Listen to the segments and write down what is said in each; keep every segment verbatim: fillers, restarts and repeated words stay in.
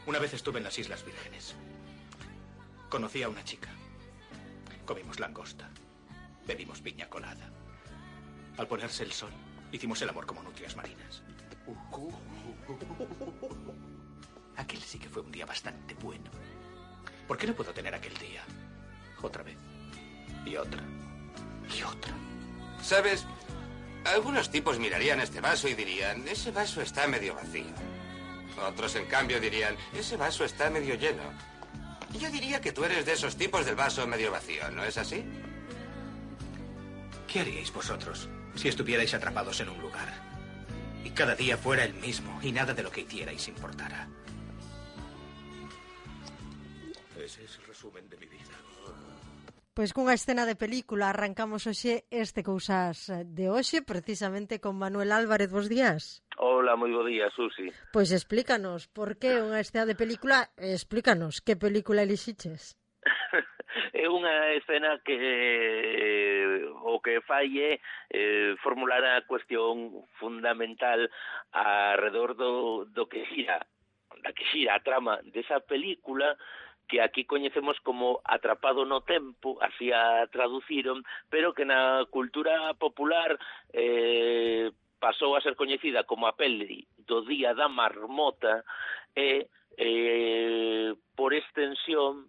Una vez estuve en las Islas Vírgenes. Conocí a una chica. Comimos langosta. Bebimos piña colada. Al ponerse el sol, hicimos el amor como nutrias marinas. Aquel sí que fue un día bastante bueno. ¿Por qué no puedo tener aquel día? Otra vez. Y otra. Y otra. ¿Sabes? Algunos tipos mirarían este vaso y dirían, ese vaso está medio vacío. Otros, en cambio, dirían, ese vaso está medio lleno. Yo diría que tú eres de esos tipos del vaso medio vacío, ¿no es así? ¿Qué haríais vosotros si estuvierais atrapados en un lugar y cada día fuera el mismo y nada de lo que hicierais importara? Ese es el resumen de mi vida. Pois cunha escena de película arrancamos hoxe este Cousas de hoxe, precisamente con Manuel Álvarez. Bos días. Hola, moi bo día, Susi. Pois explícanos, por que unha escena de película? Explícanos, que película elixiches? É unha escena que eh, o que fai é eh, formular a cuestión fundamental alrededor do, do que xira, da que xira a trama desa película, que aquí coñecemos como Atrapado no Tempo, así a traduciron, pero que na cultura popular eh, pasou a ser coñecida como a peli do Día da Marmota e, eh, por extensión,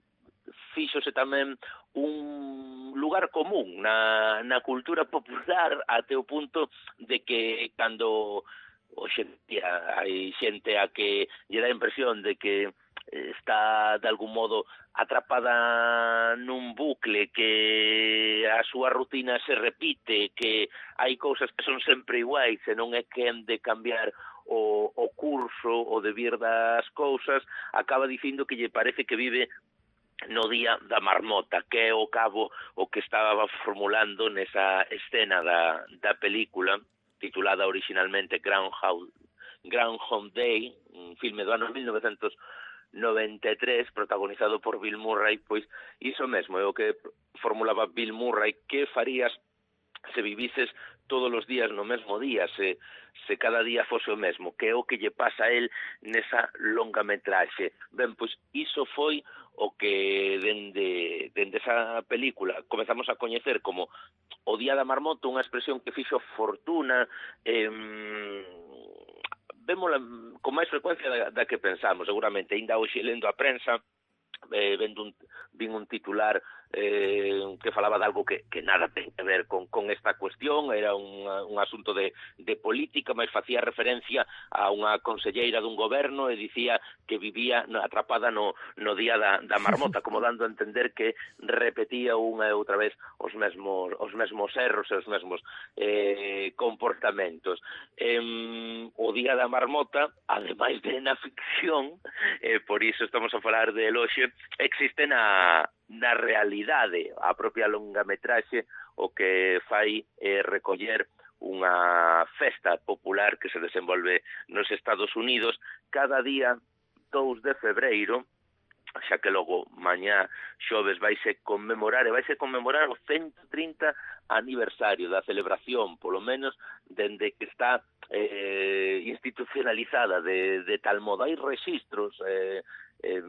fíxose tamén un lugar común na, na cultura popular até o punto de que cando hoxe hai xente a que lle dá a impresión de que está de algún modo atrapada nun bucle, que a súa rutina se repite, que hai cousas que son sempre iguais e non é quen de cambiar o, o curso o devir das cousas, acaba dicindo que lle parece que vive no Día da Marmota, que é o cabo o que estaba formulando nesa escena da, da película titulada originalmente Groundhog, Groundhog Day, un filme do ano mil novecentos noventa e tres, protagonizado por Bill Murray. Pois iso mesmo é o que formulaba Bill Murray, que farías se vivises todos os días no mesmo día, se, se cada día fose o mesmo, que é o que lle pasa a él nesa longa metraxe. Ben, pois iso foi o que dende, dende esa película comezamos a coñecer como o Día da Marmota, unha expresión que fixo fortuna, eh, vémola con máis frecuencia da, da que pensamos, seguramente. Ainda hoxe lendo a prensa, eh, vendo un, vin un titular eh, que falaba de algo que, que nada ten que ver con, con esta cuestión, era un, un asunto de, de política, mas facía referencia a unha conselleira dun goberno e dicía que vivía atrapada no, no Día da, da Marmota, como dando a entender que repetía unha e outra vez os mesmos, os mesmos erros e os mesmos eh, comportamentos. Eh, o Día da Marmota, ademais de na ficción, eh, por iso estamos a falar de hoxe, existe na, na realidade. A propia longametraxe o que fai é recoller unha festa popular que se desenvolve nos Estados Unidos cada día dous de febreiro, xa que logo mañá xoves vaise conmemorar e vaise conmemorar o ciento trinta aniversario da celebración, polo menos dende que está eh, institucionalizada de, de tal modo. Hai registros eh, eh,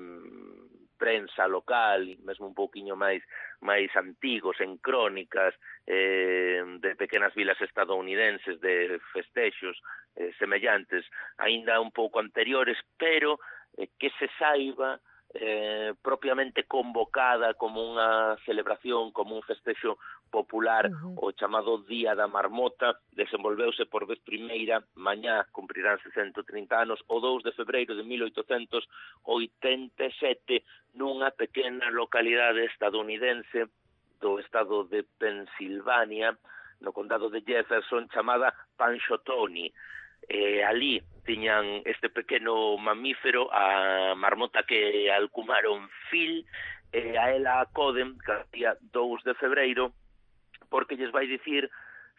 prensa local, mesmo un pouquiño máis máis antigos, en crónicas eh, de pequenas vilas estadounidenses de festexos eh, semellantes, aínda un pouco anteriores, pero eh, que se saiba eh, propiamente convocada como unha celebración, como un festexo popular, uh-huh. o chamado Día da Marmota, desenvolveuse por vez primeira, mañá cumpriránse ciento trinta anos, o dous de febreiro de mil oitocentos oitenta e sete, nunha pequena localidade estadounidense do estado de Pensilvania, no condado de Jefferson, chamada Panchotoni. Eh, ali tiñan este pequeno mamífero, a marmota que alcumaron Phil, e a ela acoden cada día dous de febreiro porque lles vai dicir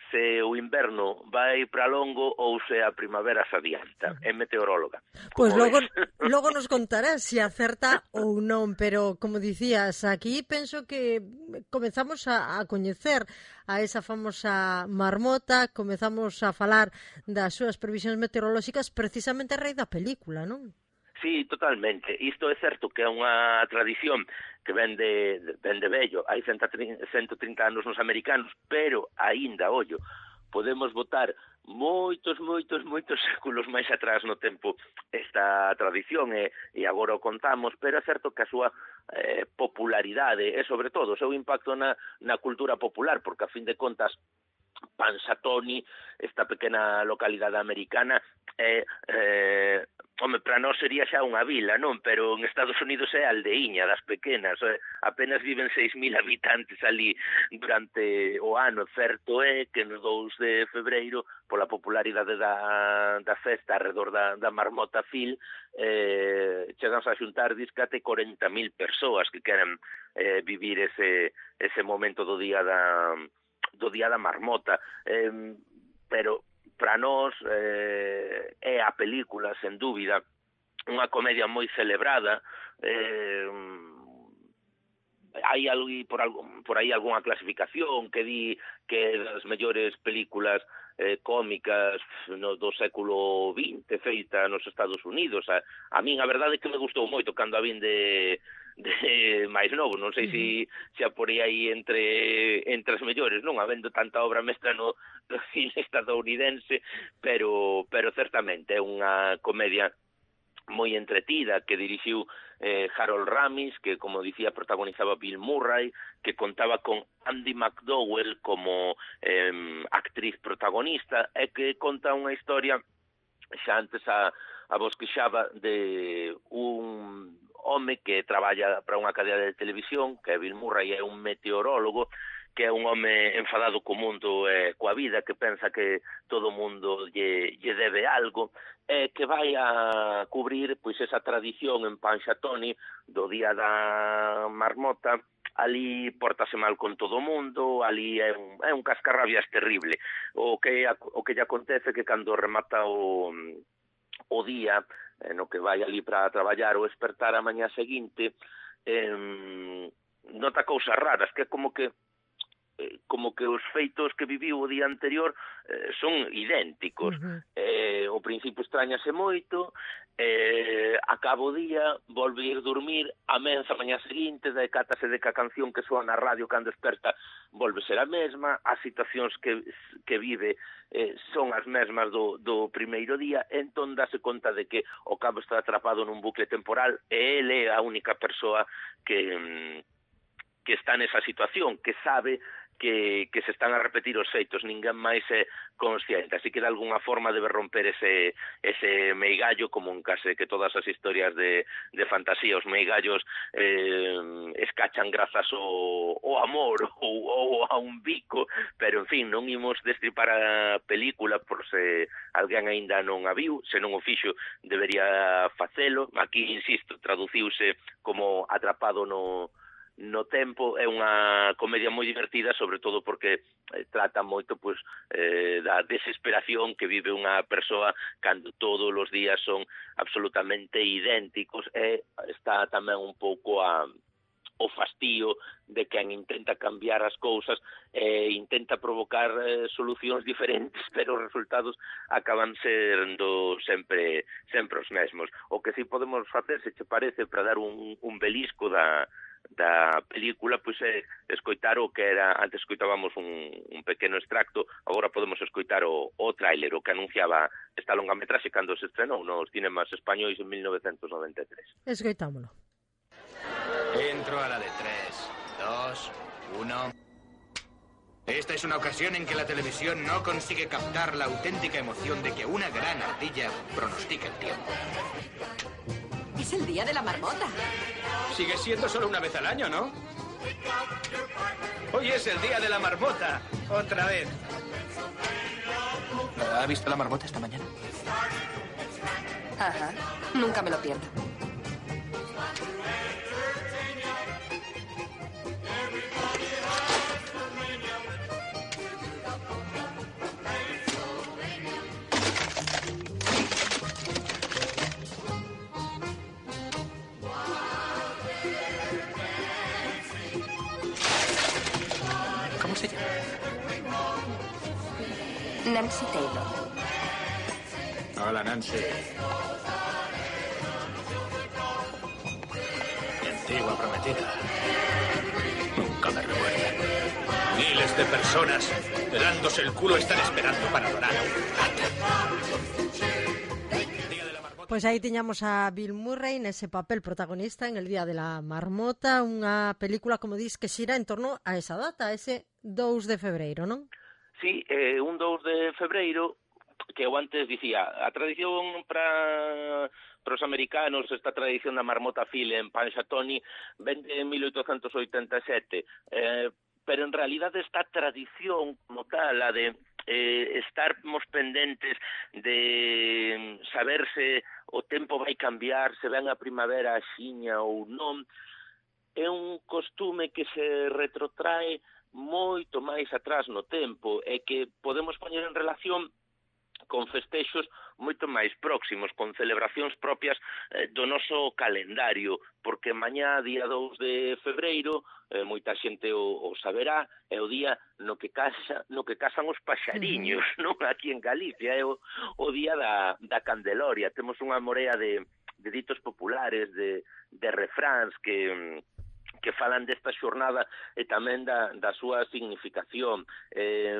se o inverno vai para longo ou se a primavera se adianta. É meteoróloga. Pois pues logo, logo nos contarás se acerta ou non, pero como dicías, aquí penso que comezamos a, a coñecer a esa famosa marmota, comezamos a falar das súas previsións meteorolóxicas precisamente a raíz da película, non? Sí, totalmente. Isto é certo que é unha tradición que ven de, ven de vello, hai ciento trinta anos nos americanos, pero aínda, ollo, podemos botar moitos, moitos, moitos séculos máis atrás no tempo esta tradición e, e agora o contamos, pero é certo que a súa eh, popularidade e, sobre todo, o seu impacto na, na cultura popular, porque, a fin de contas, Punxsutawney, esta pequena localidade americana, é, eh, home, para nós sería xa unha vila, non? Pero en Estados Unidos é aldeiña das pequenas, eh, apenas viven seis mil habitantes ali durante o ano. Certo é que no dous de febreiro, pola popularidade da, da festa alrededor da, da Marmota Phil, eh, chegamos a xuntar discate corenta mil persoas que queren eh, vivir ese, ese momento do día da do Día da Marmota, eh, pero para nós eh, é a película, sen dúbida, unha comedia moi celebrada. eh, hai algo, por, algo, por aí algunha clasificación que di que é das mellores películas eh, cómicas no, do século vinte feita nos Estados Unidos. A, a min a verdade é que me gustou moito cando a vin de de máis novo, non sei se se a porei aí entre entre as mellores, non habendo tanta obra mestra no, no cine estadounidense, pero pero certamente é unha comedia moi entretida que dirixiu eh, Harold Ramis, que, como dicía, protagonizaba Bill Murray, que contaba con Andy McDowell como eh, actriz protagonista, e que conta unha historia, xa antes a, a vos queixaba, de un home que traballa para unha cadea de televisión, que Bill Murray é un meteorólogo, que é un home enfadado co mundo e eh, coa vida, que pensa que todo o mundo lle, lle debe algo, e eh, que vai a cubrir pois esa tradición en Punxsutawney do Día da Marmota. Ali pórtase mal con todo o mundo, ali é un, é un cascarrabias terrible. O que, o que lle acontece que cando remata o, o día, eh, no que vai ali para traballar ou espertar a mañá seguinte, eh, nota cousas raras, que é como que como que os feitos que viviu o día anterior eh, son idénticos. Uh-huh. Eh, o principio extrañase moito, eh, acaba o día, volve a ir dormir, a menza a mañá seguinte, decátase de que a canción que soa na radio cando desperta volve ser a mesma, as situacións que, que vive eh, son as mesmas do, do primeiro día, entón dáse conta de que o cabo está atrapado nun bucle temporal e ele é a única persoa que, que está nesa situación, que sabe que, que se están a repetir os feitos, ninguén máis é consciente, así que de alguna forma debe romper ese, ese meigallo, como en case que todas as historias de, de fantasía, os meigallos eh, escachan grazas ao, ao amor ou, ou a un bico, pero en fin, non imos destripar a película por se alguén aínda non a viu, se non o fixo debería facelo. Aquí, insisto, traduciuse como Atrapado no no tempo. É unha comedia moi divertida, sobre todo porque eh, trata moito pois, eh, da desesperación que vive unha persoa cando todos os días son absolutamente idénticos, e está tamén un pouco a o fastío de quen intenta cambiar as cousas e intenta provocar eh, solucións diferentes, pero os resultados acaban sendo sempre sempre os mesmos. O que si podemos facer, se che parece, para dar un, un belisco da da película, pois é escoitar o que era, antes escoitábamos un, un pequeno extracto, agora podemos escoitar o, o tráiler, o que anunciaba esta longametraxe cando se estrenou nos cinemas españois en mil novecientos noventa e tres. Escoitámolo. Entro a la de tres, dos, uno... Esta es una ocasión en que la televisión no consigue captar la auténtica emoción de que una gran ardilla pronostica el tiempo. Es el día de la marmota. Sigue siendo solo una vez al año, ¿no? Hoy es el día de la marmota. Otra vez. ¿Ha visto la marmota esta mañana? Ajá. Nunca me lo pierdo. Nancy Taylor. Hola, Nancy. antigua prometida. Nunca me recuerdan. Miles de personas pelándose el culo están esperando para adorar a un rata. Pois aí tiñamos a Bill Murray nese papel protagonista en El Día de la Marmota, unha película, como dis, que xira en torno a esa data, ese dous de febreiro, non? Sí, eh, un dous de febreiro, que eu antes dicía, a tradición para para os americanos, esta tradición da marmota Phil en Punxsutawney, ven de mil oitocentos oitenta e sete, eh, pero en realidade esta tradición como tal, a de eh, estarmos pendentes de saberse o tempo vai cambiar, se ven a primavera axiña ou non, é un costume que se retrotrae moito máis atrás no tempo e que podemos poñer en relación con festexos moito máis próximos, con celebracións propias eh, do noso calendario, porque mañá, día dous de febreiro, eh, moita xente o, o saberá, é o día no que casa, no que casan os paxariños, uh-huh. non? Aquí en Galicia, é o, o día da, da Candeloria. Temos unha morea de, de ditos populares, de, de refráns que... que falan desta xornada e tamén da, da súa significación. Eh,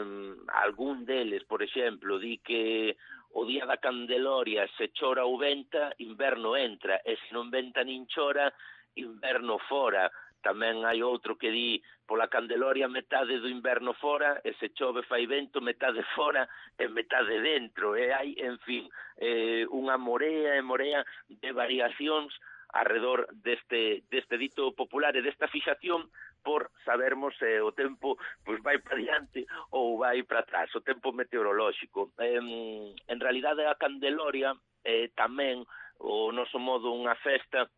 algún deles, por exemplo, di que o día da Candeloria se chora ou venta, inverno entra, e se non venta nin chora, inverno fora. Tamén hai outro que di pola Candeloria metade do inverno fora, e se chove fai vento, metade fora e metade dentro. E hai, en fin, eh, unha morea e morea de variacións arredor deste, deste dito popular e desta fixación por sabermos se eh, o tempo pois vai para diante ou vai para atrás, o tempo meteorolóxico. Eh, en realidade a Candeloria é eh, tamén o noso modo unha festa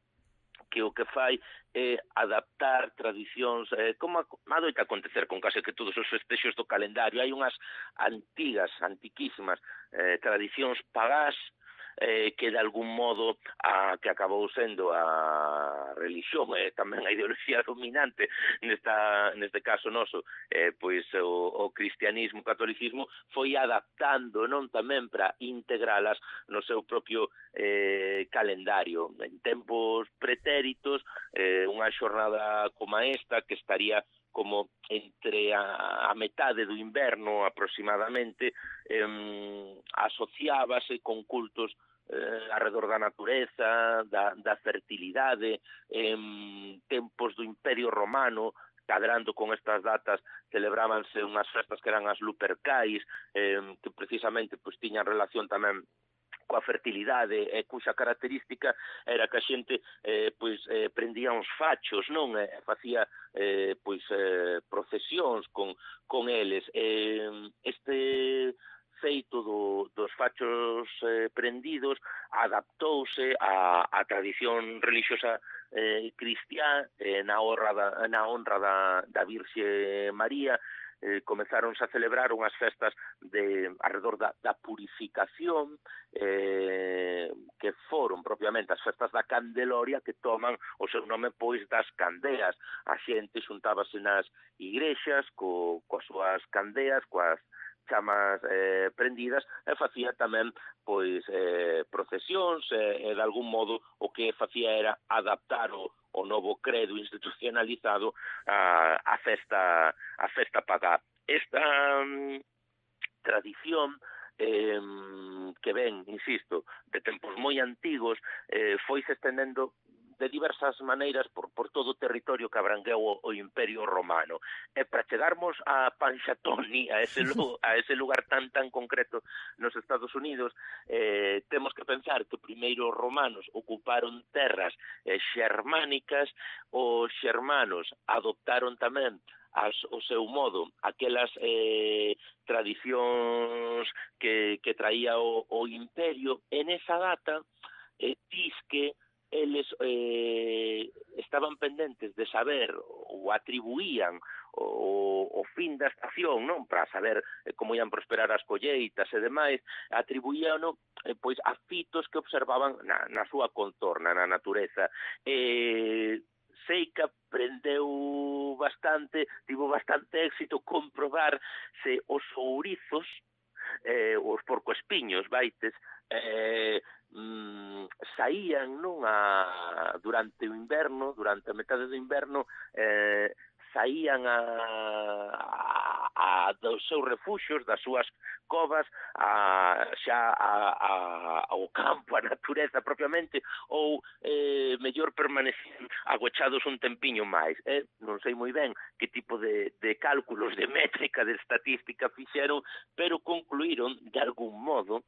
que o que fai é adaptar tradicións, eh, como adoita acontecer con case que todos os festexos do calendario. Hai unhas antigas, antiquísimas eh, tradicións pagás, Eh, que de algún modo a, que acabou sendo a religión e eh, tamén a ideoloxía dominante nesta, neste caso noso, eh, pois o, o cristianismo, o catolicismo foi adaptando, non, tamén para integralas no seu propio eh, calendario. En tempos pretéritos, eh, unha xornada como esta que estaría como entre a, a metade do inverno aproximadamente, eh, asociábase con cultos eh, arredor da natureza, da, da fertilidade, en tempos do Imperio Romano, cadrando con estas datas, celebrábanse unhas festas que eran as Lupercais, eh, que precisamente pois tiñan relación tamén coa fertilidade e cuxa característica era que a xente eh, pois eh, prendía uns fachos, non? E facía eh, pois eh, procesións con, con eles. Eh, este feito do, dos fachos eh, prendidos adaptouse a, a tradición religiosa eh, cristiá eh, na honra da, na honra da, da Virxe María. Eh, comezaronse a celebrar unhas festas de arredor da, da purificación, eh, que foron propiamente as festas da Candeloria, que toman o seu nome pois das candeas. A xente xuntábase nas igrexas co, coas súas candeas, coas chamas eh, prendidas, e facía tamén pois eh, procesións, e, e de algún modo o que facía era adaptar o o novo credo institucionalizado a, a festa a festa pagá. Esta um, tradición eh, que ven, insisto, de tempos moi antigos, eh, foi se estendendo de diversas maneiras por, por todo o territorio que abrangueu o, o Imperio Romano. E para chegarmos a Punxsutawney, a ese, a ese lugar tan tan concreto nos Estados Unidos, eh, temos que pensar que primeiro os romanos ocuparon terras eh, xermánicas, os xermanos adoptaron tamén as, o seu modo, aquelas eh, tradicións que, que traía o, o imperio. En esa data, eh, dis que eles eh, estaban pendentes de saber ou atribuían o, o fin da estación, non, para saber eh, como ian prosperar as colleitas e demais, atribuían eh, pois a fitos que observaban na, na súa contorna, na natureza. Eh, sei que aprendeu bastante, tivo bastante éxito comprobar se os ourizos, eh, os porcoespiños, vaites, eh, mm, saían non a durante o inverno, durante a metade do inverno, eh, saían a, a, a dos seus refuxios, das súas covas, a, xa a, a, ao campo, a natureza propiamente, ou eh, mellor permanecían agochados un tempiño máis. Eh? Non sei moi ben que tipo de, de cálculos, de métrica, de estatística fixeron, pero concluíron, de algún modo,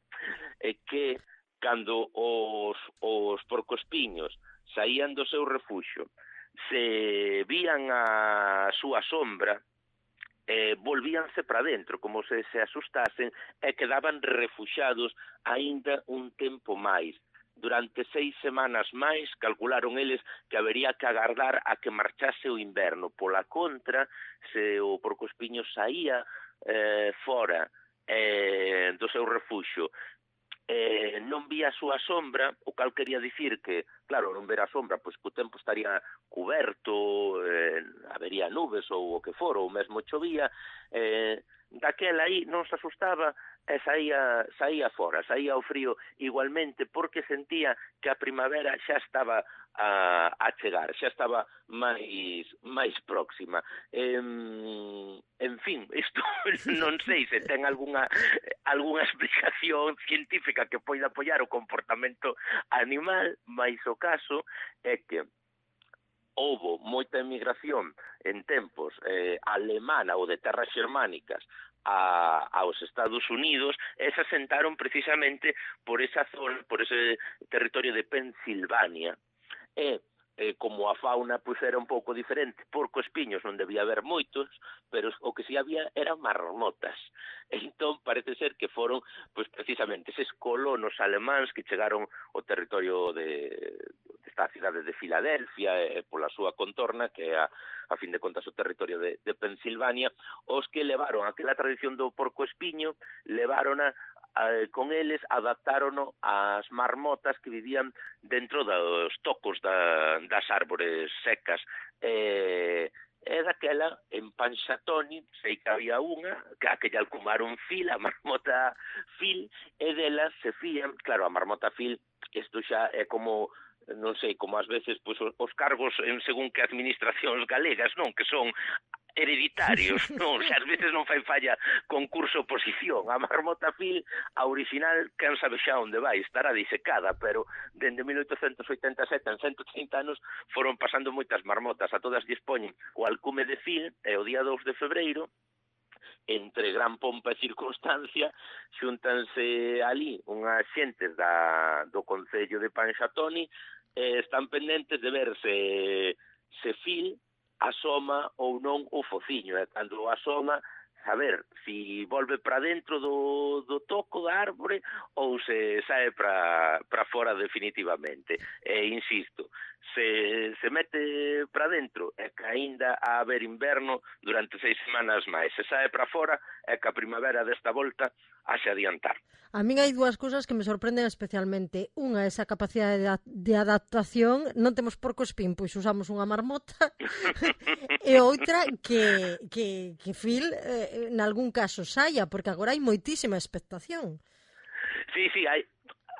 eh, que cando os, os porcoespiños saían do seu refuxio, se vían a súa sombra, eh, volvíanse para dentro, como se se asustasen, e quedaban refuxados aínda un tempo máis. Durante seis semanas máis, calcularon eles que habería que agardar a que marchase o inverno. Pola contra, se o porcoespiño saía eh, fora eh, do seu refuxo, Eh, non vía a súa sombra, o cal quería dicir que, claro, non ver a sombra, pois que o tempo estaría cuberto, eh, habería nubes ou o que for, ou mesmo chovía, eh, daquela aí non se asustaba e saía, saía fora, saía ao frío igualmente, porque sentía que a primavera xa estaba a, a chegar, xa estaba máis máis próxima. Eh, en fin, isto non sei se ten algunha algunha explicación científica que poida apoiar o comportamento animal, mas o caso é que houbo moita emigración en tempos eh, alemana ou de terras xermánicas a, aos Estados Unidos, e se asentaron precisamente por esa zona, por ese territorio de Pensilvania. E eh, como a fauna pois era un pouco diferente, porcoespiños non debía haber moitos, pero o que si había eran marmotas. Entón parece ser que foron pois precisamente eses colonos alemáns que chegaron ao territorio de esta cidade de Filadelfia e eh, pola súa contorna, que é a, a fin de contas o territorio de, de Pensilvania, os que levaron aquela tradición do porcoespiño, levarona Eh, con eles, adaptárono ás marmotas que vivían dentro dos tocos da, das árbores secas. Eh, e daquela, en Pansatoni, sei que había unha, que aquella alcumaron Fil, a marmota Fil, e dela se fían, claro, a marmota Fil, isto xa é como non sei, como ás veces pois, os cargos en según que administracións galegas, non, que son hereditarios, non, xa ás veces non fai falla concurso oposición. A marmota Fil, a original, quen sabe xa onde vai, estará disecada, pero dende mil oitocentos oitenta e sete, en ciento trinta anos, foron pasando moitas marmotas, a todas dispoñen o alcume de Fil, e o día dous de febreiro, entre gran pompa e circunstancia, xúntanse ali unhas xentes da, do Concello de Pansatoni, e están pendentes de ver se, se Fil asoma ou non o fociño, e cando asoma, saber si volve para dentro do, do toco da árbore ou se sae para para fora definitivamente. E insisto, se se mete para dentro é que aínda a haber inverno durante seis semanas máis. Se sae para fora é que a primavera desta volta haxe adiantar. A min hai dúas cousas que me sorprenden especialmente. Unha, esa capacidade de, de adaptación. Non temos porcoespín, pois usamos unha marmota. E outra, que, que, que Phil, eh, en algún caso, saia, porque agora hai moitísima expectación. Sí, sí, hai...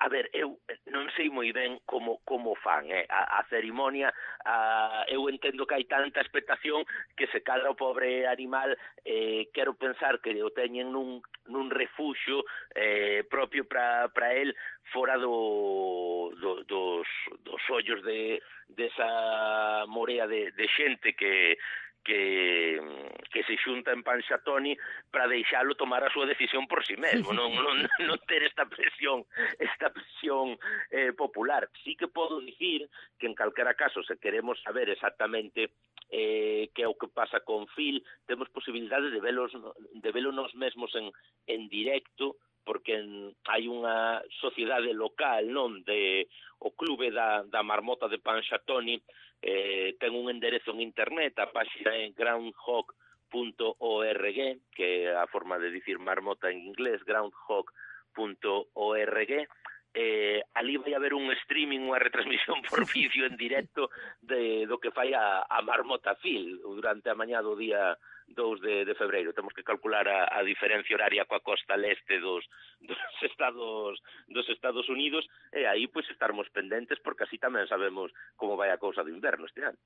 A ver, eu non sei moi ben como como fan, eh? a, a cerimonia, a, eu entendo que hai tanta expectación que se cadra o pobre animal, eh, quero pensar que o teñen nun, nun refuxio eh, propio para para el, fora do, do, dos, dos ollos de desa morea de, de xente que que que se xunta en Pansatoni para deixalo tomar a súa decisión por si mesmo, non non non ter esta presión, esta presión eh, popular. Sí que podo dicir que en calquera caso, se queremos saber exactamente eh, que é o que pasa con Phil, temos posibilidade de velos de velo nos mesmos en en directo, porque en, hai unha sociedade local, non, de o clube da da marmota de Pansatoni. Eh, ten un enderezo en internet, a página é groundhog punto org, que é a forma de dicir marmota en inglés, groundhog punto org. Eh, ali vai haber un streaming, unha retransmisión por vídeo en directo de, do que fai a, a marmota Phil durante a mañá do día dous de, de febreiro. Temos que calcular a, a diferencia horaria coa costa leste dos, dos Estados dos Estados Unidos, e aí pois estarmos pendentes, porque así tamén sabemos como vai a cousa do inverno este ano.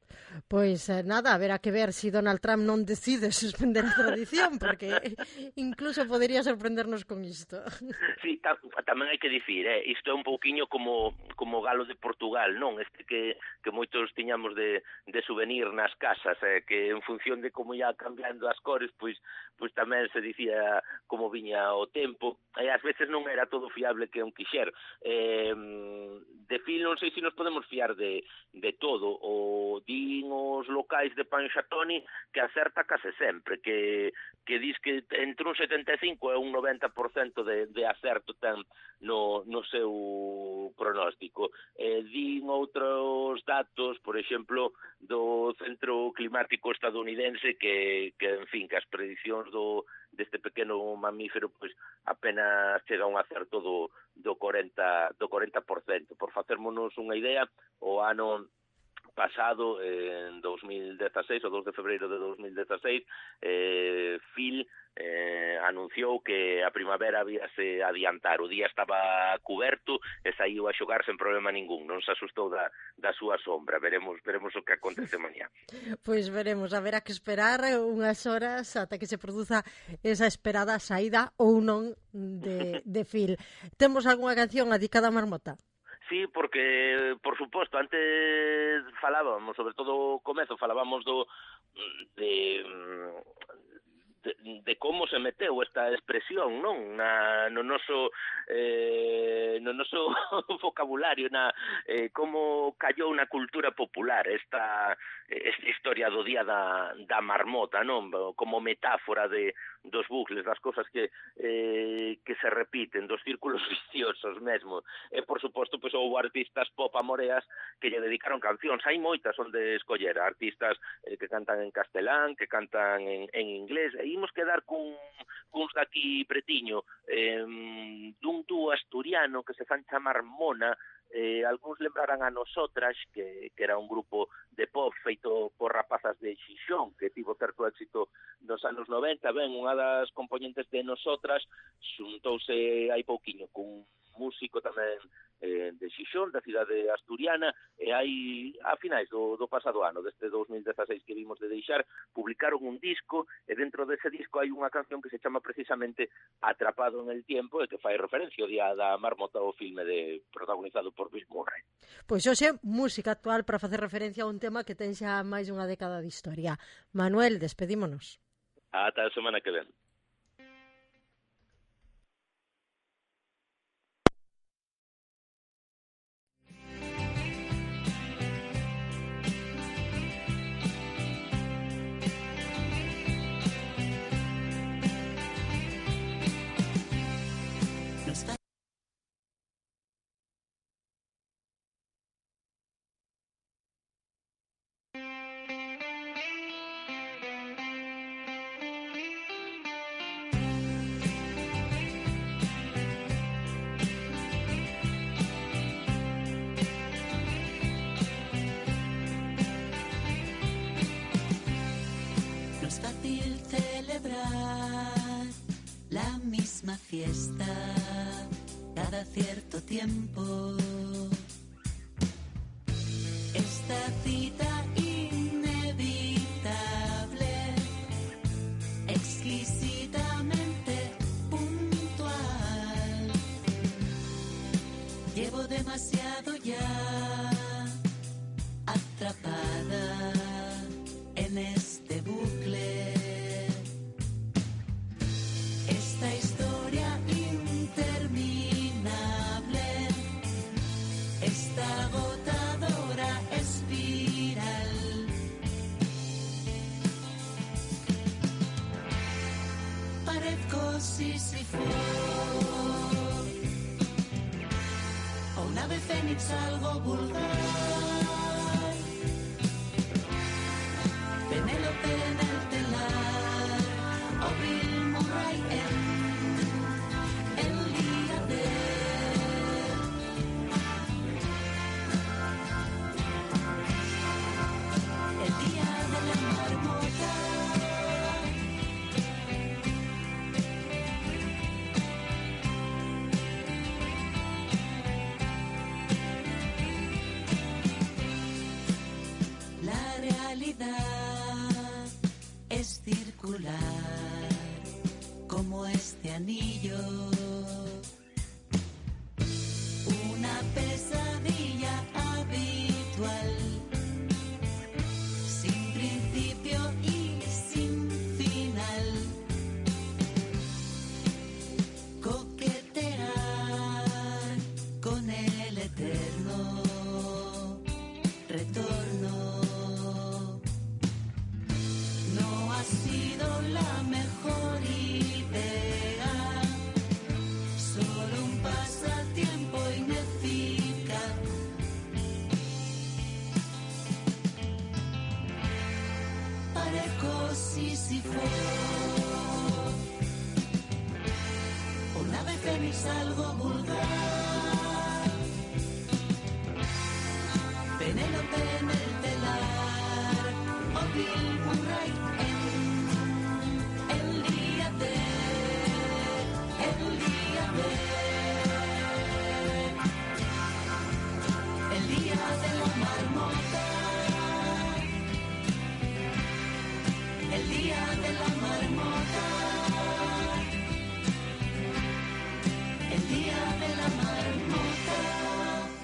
Pois eh, nada, haberá que ver se si Donald Trump non decide suspender a tradición, porque incluso podería sorprendernos con isto. Sí, ta, tamén hai que dicir, eh, isto é un pouquiño como como galo de Portugal, non? Este que, que moitos tiñamos de, de souvenir nas casas, eh, que en función de como ia cambiando as cores, pois pois tamén se dicía como viña o tempo, e ás veces non era todo fiable que un quixer. Eh, de fil non sei se nos podemos fiar de, de todo, o din os locais de Panxatoni que acerta case sempre, que, que dis que entre un setenta e cinco e un noventa por cento de, de acerto ten no, no seu pronóstico. Eh, din outros datos, por exemplo, do Centro Climático Estadounidense que, que en fin, que as prediccións do deste pequeno mamífero pois apenas chega a un acerto do, do cuarenta por cento. Por facérmonos unha idea, o ano pasado, en dos mil dezasseis, o dos de febreiro de dos mil dezasseis, eh, Phil eh, anunciou que a primavera habíase adiantar. O día estaba cuberto e saiu a xogar sen problema ningún. Non se asustou da, da súa sombra. Veremos veremos o que acontece mañá. Pois veremos, haberá que esperar unhas horas ata que se produza esa esperada saída ou non de, de Phil. Temos algunha canción dedicada a Marmota? Sí, porque, por suposto, antes falábamos, sobre todo o comezo, falábamos do de, de, de como se meteu esta expresión, non? Na, no noso eh, no noso vocabulario, na eh, como callou na cultura popular esta, esta historia do día da, da marmota, non? Como metáfora de dos bucles, das cosas que eh, que se repiten, dos círculos viciosos mesmo. E, por suposto, pois, houve artistas pop amoreas que lle dedicaron cancións. Hai moitas onde escoller, artistas eh, que cantan en castelán, que cantan en, en inglés, e imos quedar cun, cuns daqui pretiño, eh, dun dúo asturiano que se fan chamar Mona. Eh, algúns lembrarán a Nosotras, que, que era un grupo de pop feito por rapazas de Xixón, que tivo certo éxito nos anos noventa. Ben, unha das componentes de Nosotras xuntouse hai pouquiño cun músico tamén eh, de Xixón, da cidade asturiana, e hai a finais do, do pasado ano, deste dos mil dezasseis que vimos de deixar, publicaron un disco, e dentro dese disco hai unha canción que se chama precisamente Atrapado en el tiempo, e que fai referencia ao Día da Marmota, o filme de protagonizado por Bill Murray. Pois hoxe, música actual para facer referencia a un tema que ten xa máis dunha década de historia. Manuel, despedímonos. Ata a semana que ven. La misma fiesta cada cierto tiempo. Esta cita inevitable, exquisitamente puntual. Llevo demasiado ya atrapada en este bucle. Esta historia interminable, esta agotadora espiral. Parezco Sísifo, o un ave fénix algo vulgar. Penélope en el telar, o Bill Murray en el día de el día de la marmota. fare così si fa. O l'ave fénix algo vulgar.